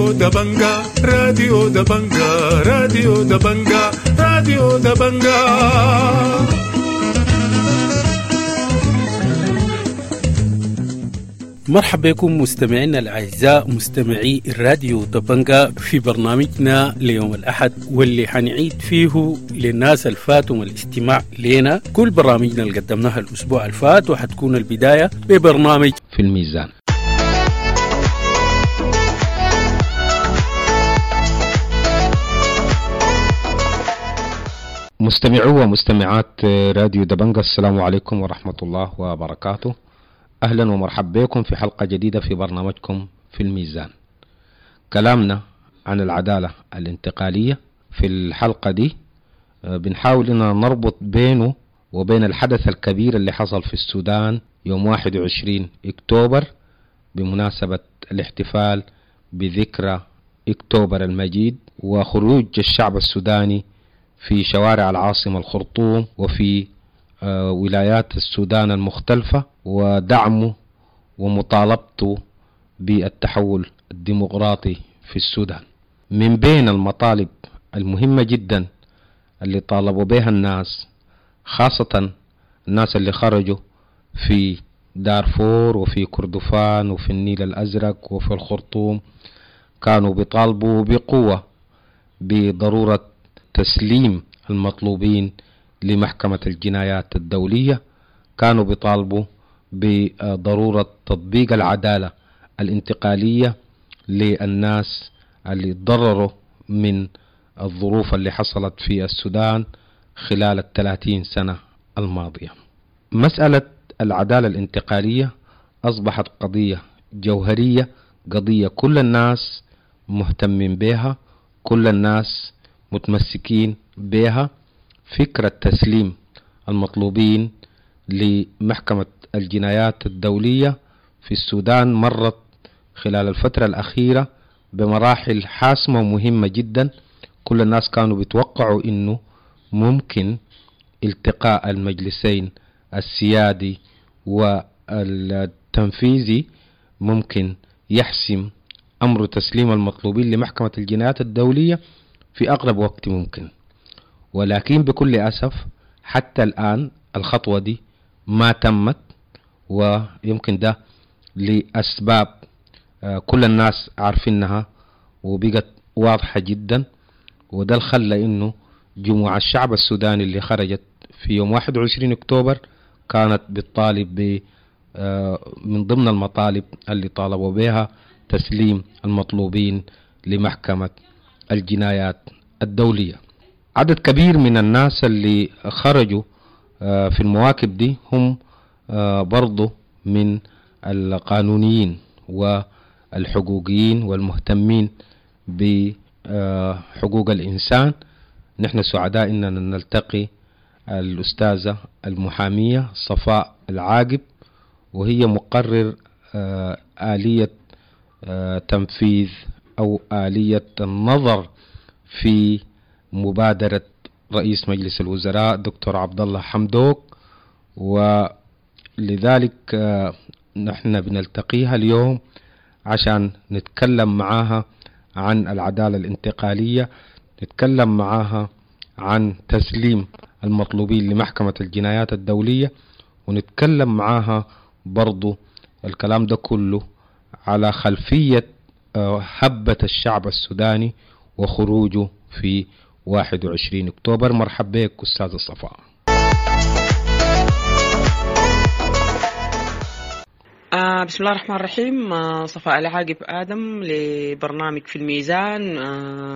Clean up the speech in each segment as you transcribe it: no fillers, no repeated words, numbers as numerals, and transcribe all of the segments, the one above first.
راديو دبنجا، راديو دبنجا، راديو دبنجا، راديو دبنجا. مرحبا بكم مستمعينا الأعزاء مستمعي الراديو دبنجا في برنامجنا ليوم الأحد، واللي حنعيد فيه للناس الفاتهم الاستماع لنا كل برامجنا اللي قدمناها الأسبوع الفات، وحتكون البداية ببرنامج في الميزان. مستمعو ومستمعات راديو دبنجا، السلام عليكم ورحمة الله وبركاته. أهلا ومرحبا بكم في حلقة جديدة في برنامجكم في الميزان. كلامنا عن العدالة الانتقالية. في الحلقة دي بنحاول أننا نربط بينه وبين الحدث الكبير اللي حصل في السودان يوم 21 أكتوبر بمناسبة الاحتفال بذكرى أكتوبر المجيد وخروج الشعب السوداني في شوارع العاصمة الخرطوم وفي ولايات السودان المختلفة، ودعمه ومطالبته بالتحول الديمقراطي في السودان. من بين المطالب المهمة جدا اللي طالبوا بها الناس، خاصة الناس اللي خرجوا في دارفور وفي كردفان وفي النيل الأزرق وفي الخرطوم، كانوا بيطالبوا بقوة بضرورة تسليم المطلوبين لمحكمة الجنايات الدولية، كانوا بيطالبوا بضرورة تطبيق العدالة الانتقالية للناس اللي تضرروا من الظروف اللي حصلت في السودان خلال 30 سنة الماضية. مسألة العدالة الانتقالية أصبحت قضية جوهرية، قضية كل الناس مهتمين بها، كل الناس متمسكين بها. فكرة تسليم المطلوبين لمحكمة الجنايات الدولية في السودان مرت خلال الفترة الأخيرة بمراحل حاسمة ومهمة جدا. كل الناس كانوا بيتوقعوا إنه ممكن التقاء المجلسين السيادي والتنفيذي ممكن يحسم أمر تسليم المطلوبين لمحكمة الجنايات الدولية في أقرب وقت ممكن، ولكن بكل أسف حتى الآن الخطوة دي ما تمت، ويمكن ده لأسباب كل الناس عارفينها وبقت واضحة جدا. وده الخلى إنه جموع الشعب السوداني اللي خرجت في يوم 21 أكتوبر كانت بتطالب من ضمن المطالب اللي طالبوا بها تسليم المطلوبين لمحكمة الجنايات الدولية. عدد كبير من الناس اللي خرجوا في المواكب دي هم برضو من القانونيين والحقوقيين والمهتمين بحقوق الإنسان. نحن سعداء إننا نلتقي الأستاذة المحامية صفاء العاقب، وهي مقرر آلية تنفيذ أو آلية النظر في مبادرة رئيس مجلس الوزراء دكتور عبد الله حمدوك، ولذلك نحن بنلتقيها اليوم عشان نتكلم معاها عن العدالة الانتقالية، نتكلم معاها عن تسليم المطلوبين لمحكمة الجنايات الدولية، ونتكلم معاها برضو الكلام ده كله على خلفية هبة الشعب السوداني وخروجه في 21 أكتوبر. مرحبا بك أستاذ صفاء. بسم الله الرحمن الرحيم. صفاء العاقب آدم لبرنامج في الميزان.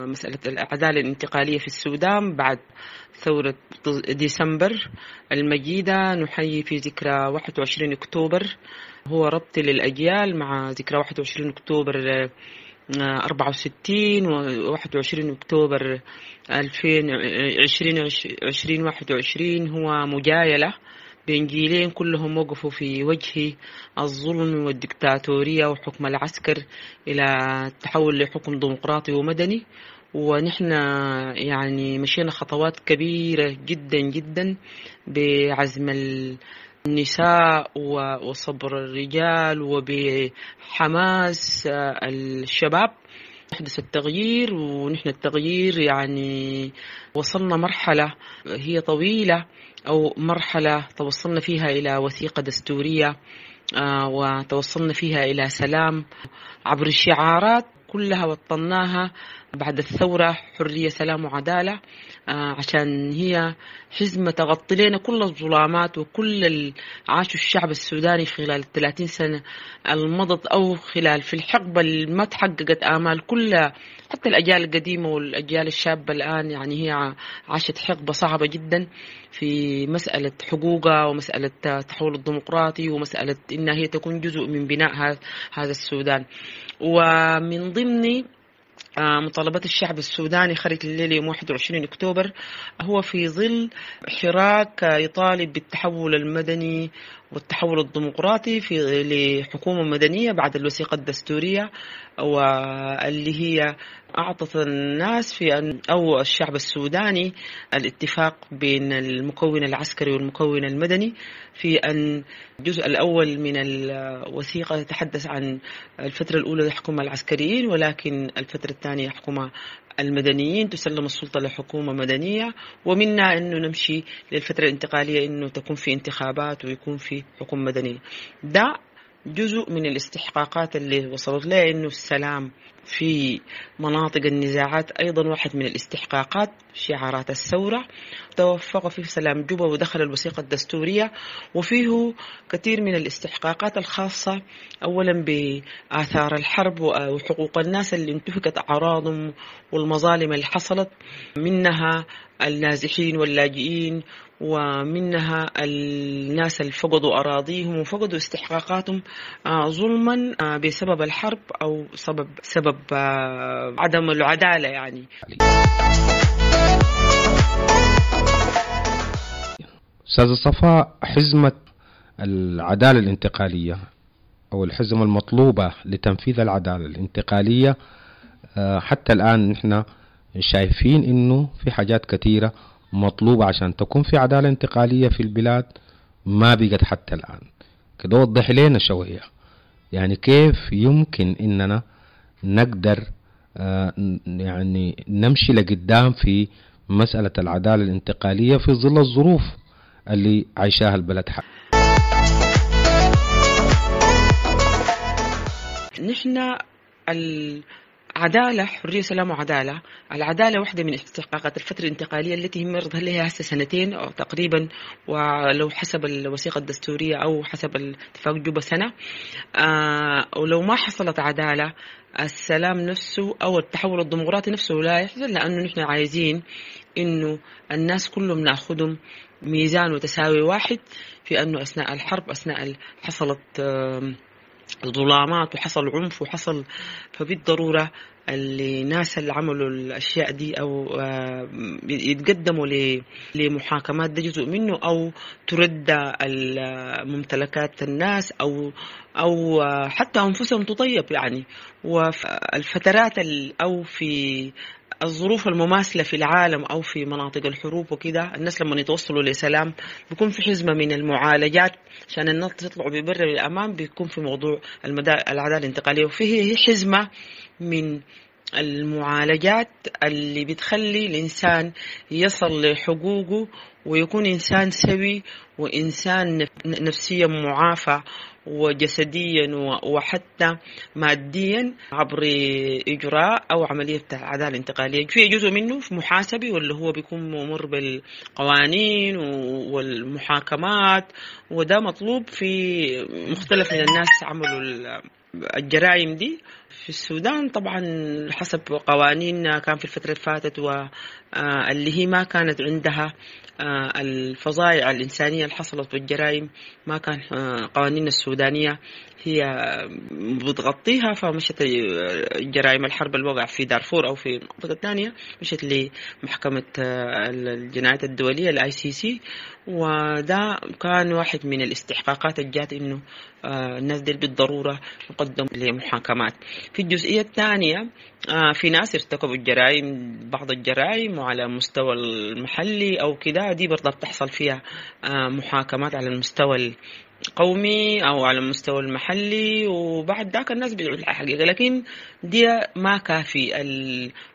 مسألة العدالة الانتقالية في السودان بعد ثورة ديسمبر المجيدة. نحيي في ذكرى 21 أكتوبر، هو ربط للأجيال مع ذكرى 21 أكتوبر 64 و 21 أكتوبر 2021. هو مجايلة بين جيلين كلهم وقفوا في وجه الظلم والدكتاتورية وحكم العسكر إلى التحول لحكم ديمقراطي ومدني. ونحن يعني مشينا خطوات كبيرة جدا جدا بعزم النساء وصبر الرجال وبحماس الشباب. حدث التغيير، ونحن التغيير يعني وصلنا مرحلة هي طويلة أو مرحلة توصلنا فيها إلى وثيقة دستورية، وتوصلنا فيها إلى سلام عبر الشعارات كلها وطناها بعد الثورة، حرية سلام وعدالة، عشان هي حزمة تغطي لنا كل الظلامات وكل اللي عاشه الشعب السوداني خلال 30 سنة المضت، أو خلال في الحقبة اللي ما تحققت آمال كل حتى الأجيال القديمة والأجيال الشابة الآن. يعني هي عاشت حقبة صعبة جدا في مسألة حقوقها ومسألة التحول الديمقراطي ومسألة إنها هي تكون جزء من بناء هذا السودان. ومن ضمن مطالبات الشعب السوداني خرج الليل يوم 21 أكتوبر هو في ظل حراك يطالب بالتحول المدني والتحول الديمقراطي في لحكومة مدنية بعد الوثيقة الدستورية، واللي هي أعطت الناس في أن أو الشعب السوداني الاتفاق بين المكون العسكري والمكون المدني في أن الجزء الأول من الوثيقة يتحدث عن الفترة الأولى يحكمها العسكريين، ولكن الفترة الثانية يحكمها المدنيين، تسلم السلطة لحكومة مدنية، ومنها أنه نمشي للفترة الانتقالية أنه تكون في انتخابات ويكون في حكومة مدنية. ده جزء من الاستحقاقات اللي وصلت لها، أنه السلام في مناطق النزاعات أيضا واحد من الاستحقاقات، شعارات الثورة توفق فيه سلام جوبا ودخل الوثيقة الدستورية، وفيه كثير من الاستحقاقات الخاصة أولا بآثار الحرب وحقوق الناس اللي انتهكت أعراضهم والمظالم اللي حصلت، منها النازحين واللاجئين، ومنها الناس اللي فقدوا أراضيهم وفقدوا استحقاقاتهم ظلما بسبب الحرب أو سبب عدم العدالة. يعني أستاذ صفاء، حزمة العدالة الانتقالية أو الحزمة المطلوبة لتنفيذ العدالة الانتقالية، حتى الآن نحن شايفين إنه في حاجات كثيرة مطلوبة عشان تكون في عدالة انتقالية في البلاد ما بقت حتى الآن. كده وضح لنا شوية، يعني كيف يمكن إننا نقدر يعني نمشي لقدام في مسألة العدالة الانتقالية في ظل الظروف اللي عايشاها البلد حق. نحن العدالة، حرية سلام وعدالة، العدالة واحدة من استحقاقات الفترة الانتقالية التي مرض لها هسه سنتين أو تقريبا، ولو حسب الوثيقة الدستورية أو حسب الاتفاق جوبا سنة. ولو ما حصلت عدالة، السلام نفسه أو التحول الديمقراطي نفسه لا يحصل، لأنه نحن عايزين إنه الناس كلهم نأخذهم ميزان وتساوي واحد في أنه أثناء الحرب، أثناء حصلت ظلامات وحصل عنف وحصل، فبالضرورة اللي ناس اللي عملوا الأشياء دي أو يتقدموا لمحاكمات، ده جزء منه، أو ترد الممتلكات الناس أو حتى أنفسهم تطيب يعني. وفي الفترات أو في الظروف المماثلة في العالم أو في مناطق الحروب وكده، الناس لما يتوصلوا لسلام بيكون في حزمة من المعالجات عشان الناس تطلعوا ببر للأمام، بيكون في موضوع العدالة الانتقالية، وفيه حزمة من المعالجات اللي بتخلي الإنسان يصل لحقوقه ويكون إنسان سوي وإنسان نفسيا معافى وجسديا وحتى ماديا عبر إجراء أو عملية عدالة انتقالية. في جزء منه في محاسبي، واللي هو بيكون ممر بالقوانين والمحاكمات، وده مطلوب في مختلف من الناس عملوا الجرائم دي في السودان. طبعا حسب قوانيننا كان في الفترة اللي فاتت واللي هي ما كانت عندها الفظائع الإنسانية اللي حصلت والجرائم، ما كان قوانيننا السودانية هي بتغطيها، فمشت جرائم الحرب اللي وقع في دارفور أو في المنطقة الثانية مشت لمحكمة الجنايات الدولية ICC، وده كان واحد من الاستحقاقات اللي جات إنه الناس دي بالضرورة يقدم لمحاكمات. في الجزئية الثانية في ناس ارتكبوا الجرائم، بعض الجرائم وعلى مستوى المحلي أو كده، دي برضه بتحصل فيها محاكمات على المستوى القومي أو على المستوى المحلي، وبعد ذاك الناس بيدعوا الحقيقة. لكن دي ما كافي،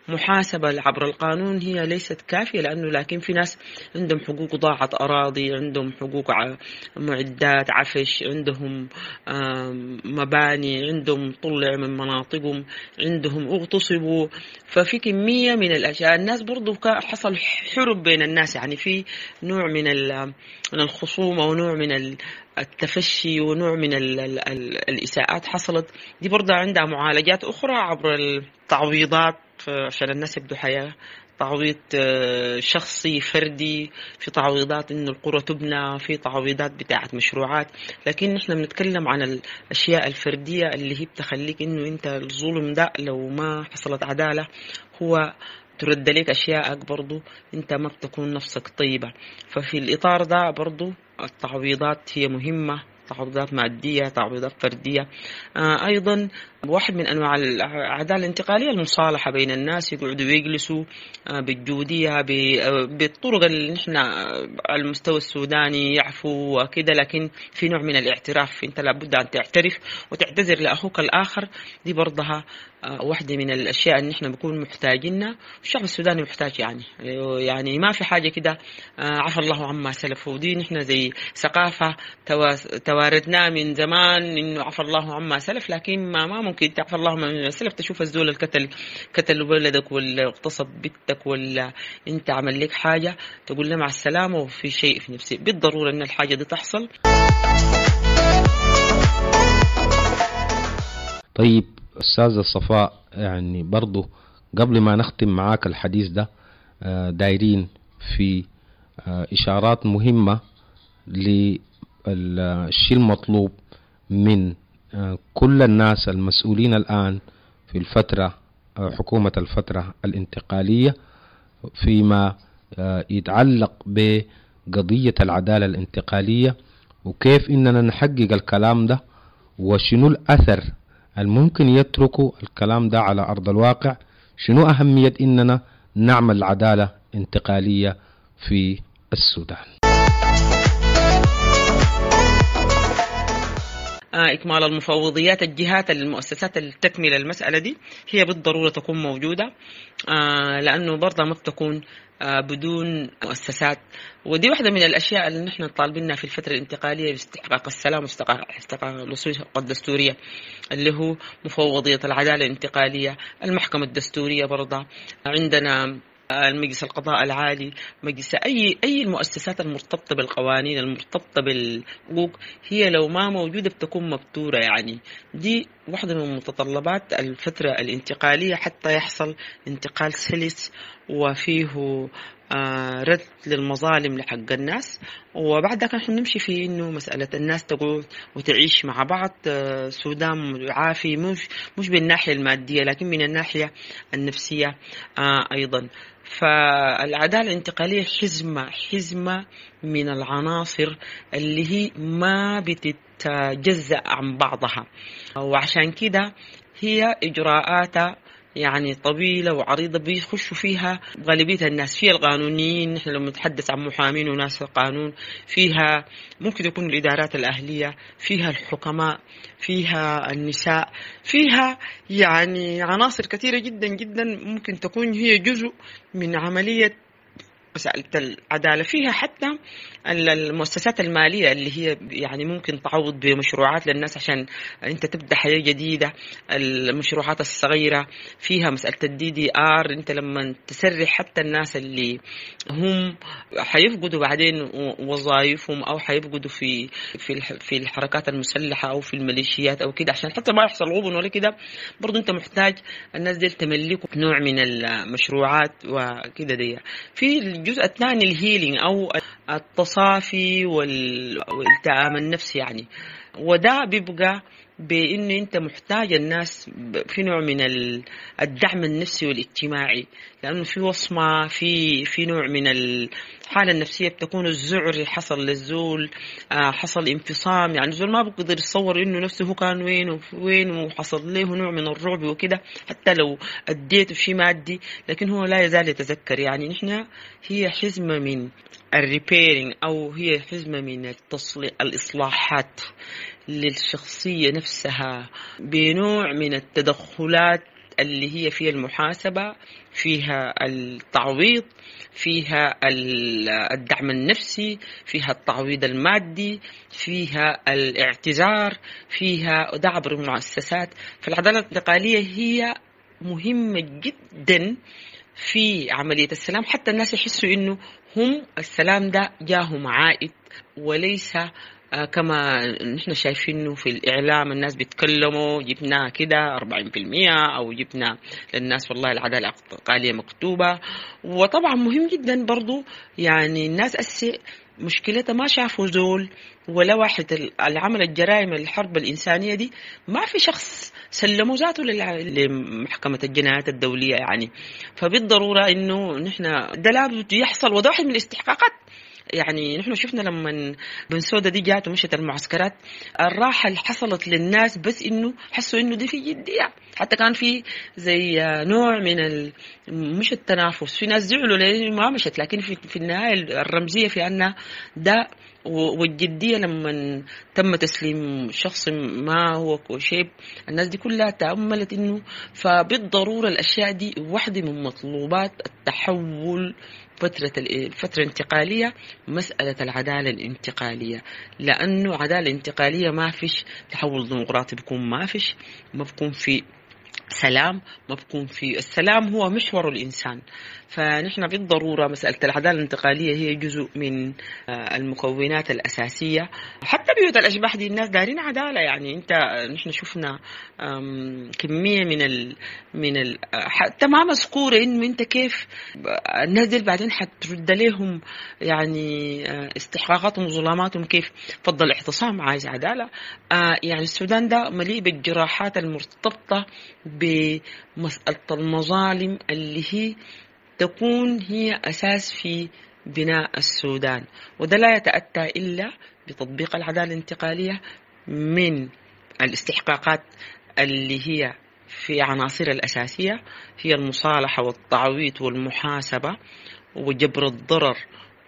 المحاسبة عبر القانون هي ليست كافية، لأنه لكن في ناس عندهم حقوق ضاعت أراضي، عندهم حقوق معدات عفش، عندهم مباني، عندهم طلع من مناطقهم، عندهم اغتصبوا. ففي كمية من الأشياء. الناس برضو حصل حرب بين الناس، يعني في نوع من الخصومة ونوع من التفشي ونوع من الإساءات حصلت. دي برضه عندها معالجات أخرى عبر التعويضات عشان الناس يبدو حياة، تعويض شخصي فردي، في تعويضات إنه القرى تبنى، في تعويضات بتاعة مشروعات. لكن نحن بنتكلم عن الأشياء الفردية اللي هي بتخليك إنه أنت الظلم ده لو ما حصلت عدالة هو ترد لك أشياءك، برضو أنت ما بتكون نفسك طيبة. ففي الإطار ده برضو التعويضات هي مهمة، تعويضات مادية، تعويضات فردية. أيضا واحد من أنواع العدالة الانتقالية المصالحة بين الناس، يقعدوا يجلسوا بالجودية بالطرق اللي نحن على المستوى السوداني يعفو وكده، لكن في نوع من الاعتراف، أنت لابد أن تعترف وتعتذر لأخوك الآخر. دي برضها واحدة من الأشياء اللي نحن بنكون محتاجينها، والشعب السوداني محتاج. يعني ما في حاجة كده عفى الله عما سلف، ودي نحن زي ثقافة تواردنا من زمان إنه عفى الله عما سلف، لكن ما ممكن تعفى الله عما سلف تشوف الزول الكتل كتل ولدك ولا اغتصب بنتك ولا انت عمل لك حاجة تقول له مع السلامة وفي شيء في نفسي. بالضرورة إن الحاجة دي تحصل. طيب أستاذة صفاء، يعني برضو قبل ما نختم معاك الحديث ده دايرين في إشارات مهمة للشيء المطلوب من كل الناس المسؤولين الآن في الفترة، حكومة الفترة الانتقالية، فيما يتعلق بقضية العدالة الانتقالية، وكيف إننا نحقق الكلام ده، وشنو الأثر الممكن يتركوا الكلام ده على أرض الواقع، شنو أهمية إننا نعمل عدالة انتقالية في السودان. إكمال المفوضيات، الجهات المؤسسات اللي تكمل المسألة دي هي بالضرورة تكون موجودة، لأنه برضه ما بتكون بدون مؤسسات. ودي واحدة من الأشياء اللي نحن طالبينها في الفترة الانتقالية باستحقاق السلام واستحقاق الوصول الدستورية، اللي هو مفوضية العدالة الانتقالية، المحكمة الدستورية، برضه عندنا المجلس القضاء العالي، مجلس أي المؤسسات المرتبطة بالقوانين المرتبطة بالحقوق، هي لو ما موجودة بتكون مبتورة. يعني دي واحدة من متطلبات الفترة الانتقالية حتى يحصل انتقال سلس وفيه رد للمظالم لحق الناس. وبعد ذلك نحن نمشي في إنه مسألة الناس تقعد وتعيش مع بعض، سودان عافي، مش بالناحية المادية لكن من الناحية النفسية أيضا. فالعدالة الانتقالية حزمة من العناصر اللي هي ما بتتجزأ عن بعضها، وعشان كده هي إجراءاتها يعني طويلة وعريضة بيخشوا فيها غالبية الناس، فيها القانونيين، نحن لما نتحدث عن محامين وناس القانون، فيها ممكن يكون الإدارات الأهلية، فيها الحكماء، فيها النساء، فيها يعني عناصر كثيرة جدا جدا ممكن تكون هي جزء من عملية مسألة العدالة. فيها حتى المؤسسات المالية اللي هي يعني ممكن تعوض بمشروعات للناس عشان أنت تبدأ حياة جديدة، المشروعات الصغيرة، فيها مسألة الDDR، أنت لما تسرح حتى الناس اللي هم حيفقدوا بعدين وظائفهم أو حيفقدوا في في الحركات المسلحة أو في الميليشيات أو كده، عشان حتى ما يحصل غبن ولا كده، برضو أنت محتاج الناس دي تملكوا نوع من المشروعات وكده. دي في الجزء الثاني الهيلينج أو التصافي والالتئام النفسي. يعني وده بيبقى بانه انت محتاج الناس في نوع من الدعم النفسي والاجتماعي، لانه في وصمة، في نوع من الحالة النفسية بتكون الذعر حصل للزول، حصل انفصام، يعني الزول ما بيقدر يتصور انه نفسه هو كان وين وين وحصل له نوع من الرعب وكده، حتى لو اديته شيء مادي لكن هو لا يزال يتذكر. يعني نحن هي حزمه من ال repairing او هي حزمه من الاصلاحات للشخصية نفسها بنوع من التدخلات اللي هي فيها المحاسبة، فيها التعويض، فيها الدعم النفسي، فيها التعويض المادي، فيها الاعتذار، فيها ده عبر المؤسسات. فالعدالة الانتقالية هي مهمة جدا في عملية السلام، حتى الناس يحسوا إنه هم السلام ده جاهم عائد وليس كما نحن شايفينه في الإعلام، الناس بيتكلموا جبنا كده 40% أو جبنا للناس والله العدالة الانتقالية مكتوبة. وطبعا مهم جدا برضو يعني الناس أسي مشكلتها ما شافوا زول ولا واحد العمل الجرائم الحرب الإنسانية دي، ما في شخص سلموا ذاته لمحكمة الجنايات الدولية يعني. فبالضرورة إنه نحن ده لابد يحصل، وده واحد من الاستحقاقات. يعني نحن شفنا لما بنسودا دي جات ومشت المعسكرات، الراحة اللي حصلت للناس بس إنه حسوا إنه دي في جدية، حتى كان في زي نوع من مش التنافس، في ناس زعلوا ليه ما مشت، لكن في النهاية الرمزية في أن ده والجدية لما تم تسليم شخص ما هو شيب، الناس دي كلها تأملت إنه فبالضرورة الأشياء دي واحدة من مطلوبات التحول فترة الفترة الانتقالية، مسألة العدالة الانتقالية، لأنه عدالة انتقالية ما فيش تحول ديمقراطي بيكون، ما فيش، ما بيكون في سلام، ما بكون في السلام هو محور الإنسان. فنحن بالضرورة مسألة العدالة الانتقالية هي جزء من المكونات الأساسية. حتى بيوت الأشباح دي الناس دارين عدالة، يعني أنت نحن شفنا كمية من حتى ما مذكورة إنه أنت كيف الناس دي بعدين حترد لهم يعني استحقاقاتهم وظلاماتهم كيف. فضل الاعتصام عايز عدالة. يعني السودان ده مليء بالجراحات المرتبطة بمسألة المظالم اللي هي تكون هي أساس في بناء السودان، وده لا يتأتى إلا بتطبيق العدالة الانتقالية من الاستحقاقات اللي هي في عناصر الأساسية، هي المصالحة والتعويض والمحاسبة وجبر الضرر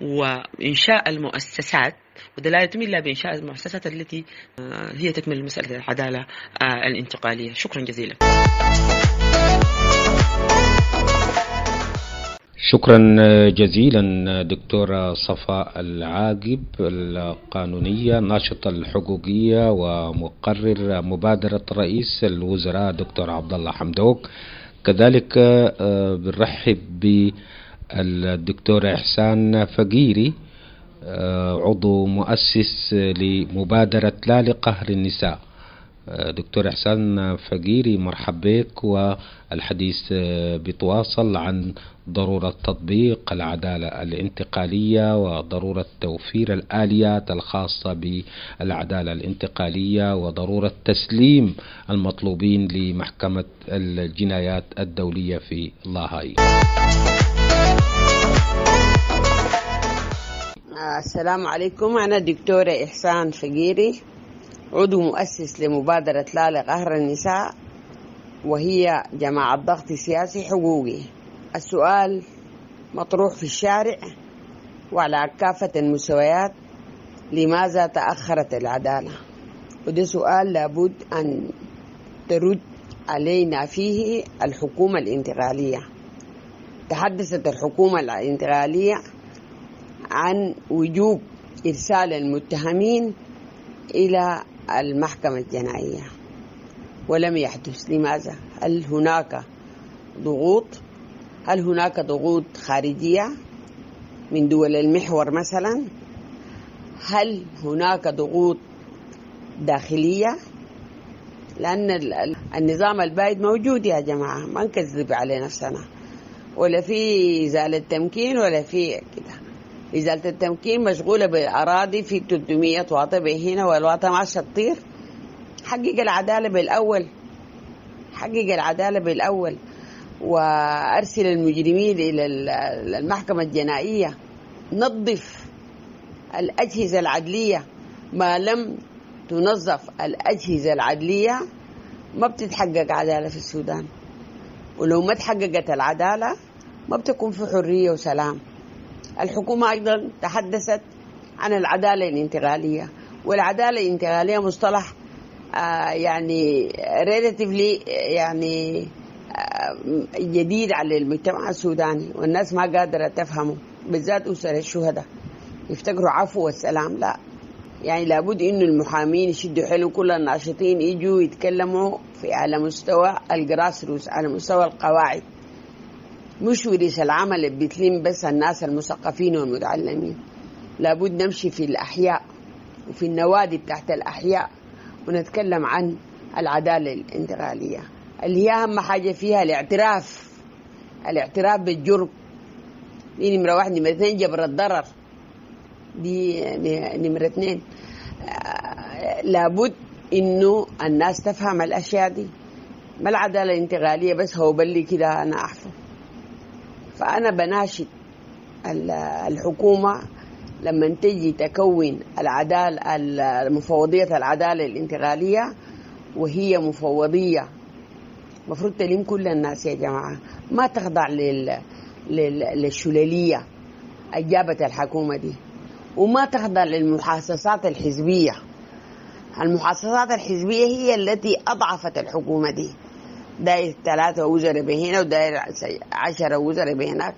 وإنشاء المؤسسات، وده لا يتم إلا بإنشاء المؤسسات التي هي تكمل مسألة العدالة الانتقالية. شكرا جزيلا. شكرا جزيلا دكتورة صفاء العاقب، القانونية الناشطة الحقوقية ومقرر مبادرة رئيس الوزراء دكتور عبد الله حمدوك. كذلك بنرحب بالدكتورة إحسان فقيري، عضو مؤسس لمبادرة لا لقهر النساء. دكتور إحسان فقيري مرحب بك، والحديث بيتواصل عن ضرورة تطبيق العدالة الانتقالية وضرورة توفير الآليات الخاصة بالعدالة الانتقالية وضرورة تسليم المطلوبين لمحكمة الجنايات الدولية في لاهاي. السلام عليكم، أنا دكتورة إحسان فقيري، عضو مؤسس لمبادرة لا لقهر النساء، وهي جماعة ضغط سياسي حقوقي. السؤال مطروح في الشارع وعلى كافة المستويات، لماذا تأخرت العدالة؟ وده سؤال لابد أن ترد علينا فيه الحكومة الانتقالية. تحدثت الحكومة الانتقالية عن وجوب إرسال المتهمين إلى المحكمة الجنائية ولم يحدث. لماذا؟ هل هناك ضغوط؟ هل هناك ضغوط خارجية من دول المحور مثلا؟ هل هناك ضغوط داخلية؟ لأن النظام البائد موجود يا جماعة، ما نكذب على نفسنا، ولا في إزالة تمكين ولا في كده. إزالة التمكين مشغولة بالأراضي في 300 واطة هنا والواطة ماشية تطير. حقق العدالة بالأول، حقق العدالة بالأول، وأرسل المجرمين إلى المحكمة الجنائية. نظف الأجهزة العدلية. ما لم تنظف الأجهزة العدلية ما بتتحقق عدالة في السودان، ولو ما تحققت العدالة ما بتكون في حرية وسلام. الحكومة أيضا تحدثت عن العدالة الانتقالية، والعدالة الانتقالية مصطلح يعني relatively يعني جديد على المجتمع السوداني، والناس ما قادرة تفهمه، بالذات أسر الشهداء يفتكروا عفو والسلام. لا، يعني لابد إنه المحامين يشدوا حيلهم، كل الناشطين يجوا يتكلموا في على مستوى ال grassroots، على مستوى القواعد، مش ورش العمل اللي بتلم بس الناس المثقفين والمتعلمين. لابد نمشي في الأحياء وفي النوادي بتاعت الأحياء ونتكلم عن العدالة الانتقالية، اللي هي أهم حاجة فيها الاعتراف، الاعتراف بالجرم. دي نمرة واحد. نمرة اثنين جبر الضرر، دي نمرة اثنين. لابد إنه الناس تفهم الأشياء دي. ما العدالة الانتقالية بس هو بلي كده أنا أحفظ. فأنا بناشد الحكومة لما تجي تكون العدالة، المفوضية العدالة الانتقالية، وهي مفوضية مفروض تلم كل الناس يا جماعة، ما تخضع للشلالية أجابت الحكومة دي، وما تخضع للمحاصصات الحزبية. المحاصصات الحزبية هي التي أضعفت الحكومة دي. داير 3 وزراء بهنا وداير 10 وزراء بهناك،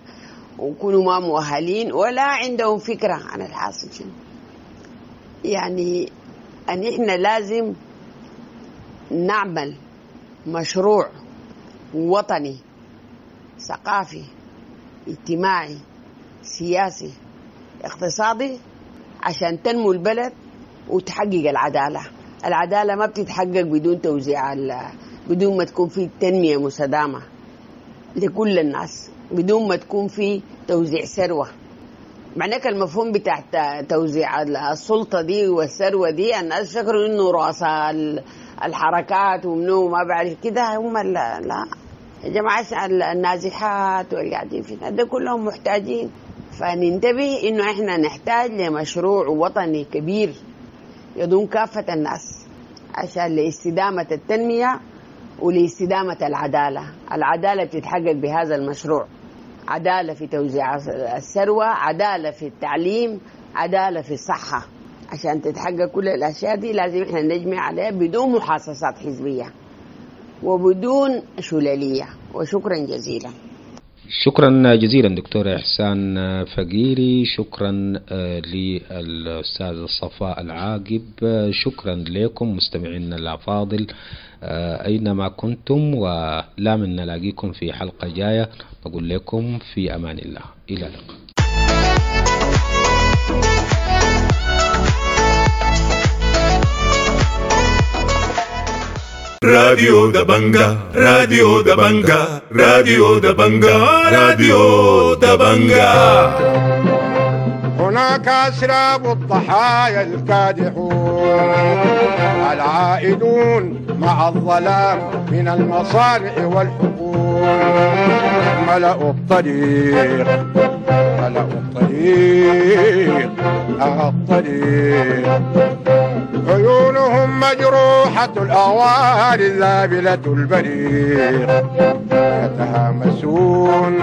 وكلوا ما مؤهلين ولا عندهم فكرة عن الحاصل شنو. يعني أن إحنا لازم نعمل مشروع وطني ثقافي اجتماعي سياسي اقتصادي عشان تنمو البلد وتحقق العدالة. العدالة ما بتتحقق بدون توزيع، بدون ما تكون في تنمية مستدامة لكل الناس، بدون ما تكون في توزيع ثروة. معناك المفهوم بتاع توزيع السلطة دي والثروة دي الناس فكروا انه رؤساء الحركات ومنو ما بعرف كده هم. لا يا جماعة، النازحات والقاعدين فينا ده كلهم محتاجين. فننتبه انه احنا نحتاج لمشروع وطني كبير يضم كافة الناس عشان لاستدامة التنمية ولاستدامة العدالة. العدالة بتتحقق بهذا المشروع، عدالة في توزيع الثروة، عدالة في التعليم، عدالة في الصحة. عشان تتحقق كل الأشياء دي لازم احنا نجمع عليها بدون محاصصات حزبية وبدون شلالية. وشكرا جزيلا. شكرا جزيلا دكتورة إحسان فقيري، شكرا للأستاذ صفاء العاقب، شكرا لكم مستمعينا الأفاضل أينما كنتم، ولا من نلاقيكم في حلقة جاية. نقول لكم في أمان الله، إلى اللقاء. راديو دبنجا، راديو دبنجا، راديو دبنجا، راديو دبنجا. هناك أسراب الضحايا الكادحون العائدون مع الظلام من المصانع والحقول، ملأوا الطريق، ملأوا الطريق، الطريق. عيونهم مجروحة الأغوار الذابلة البريق، يتهامسون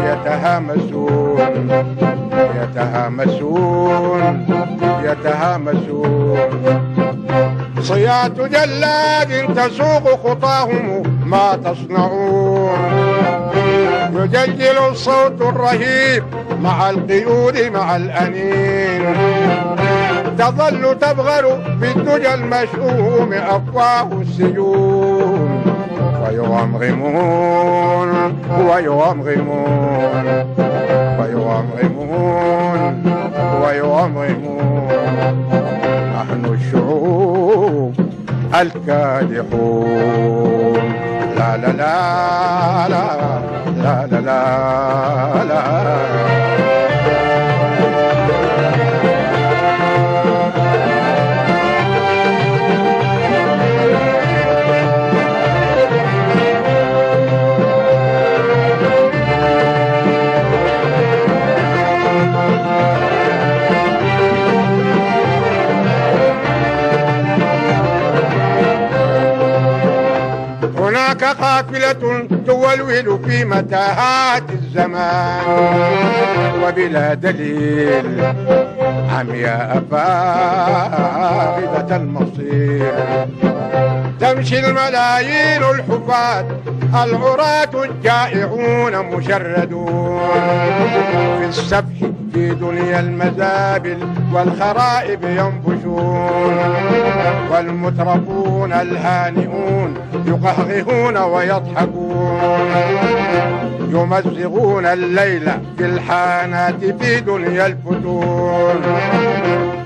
يتهامسون يتهامسون يتهامسون. صيات جلاد تسوق خطاهم ما تصنعون، يجلجل الصوت الرهيب مع القيود مع الأنين، تظل تبغر بالدجى المشؤوم أفواه السجون، ويغمغمون ويغمغمون ويغمغمون ويغمغمون. نحن الشعوب الكادحون. لا لا لا لا لا لا لا. قافلة تولول في متاهات الزمان وبلا دليل، عمياء فاقدة المصير. تمشي الملايين الحفاة العراة الجائعون مشردون في السفح في دنيا المزابل والخرائب ينبشون، والمترفون الهانئون يقهقهون ويضحكون، يمزغون الليل في الحانات في دنيا الفتون.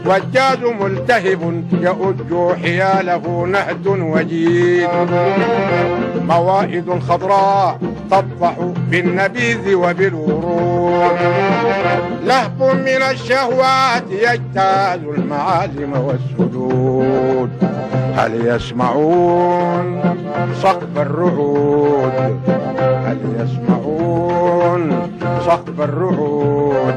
والجاز ملتهب يؤج حياله نهد وجيد، موائد خضراء تطفح بالنبيذ وبالورود، لهب من الشهوات يجتاز المعالم والسدود. هل يسمعون صخب الرعود؟ هل يسمعون صخب الرعود؟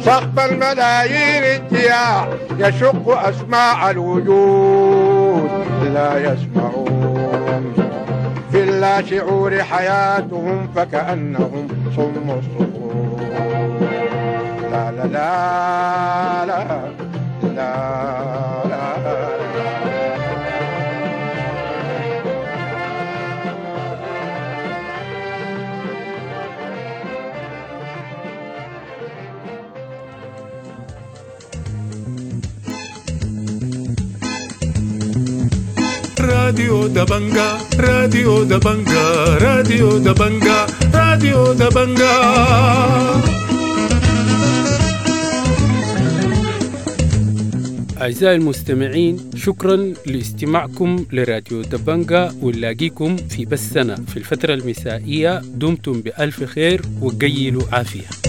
صخب الملايين الجياع يشق أسماع الوجود. لا يسمعون في اللا شعور حياتهم فكأنهم صم الصخور. لا لا لا لا لا لا. راديو دبنجا، راديو دبنجا، راديو دبنجا، راديو دبنجا. أعزائي المستمعين، شكرا لاستماعكم لراديو دبنجا، ونلاقيكم في بثنا في الفترة المسائية. دمتم بألف خير وقيلوا عافية.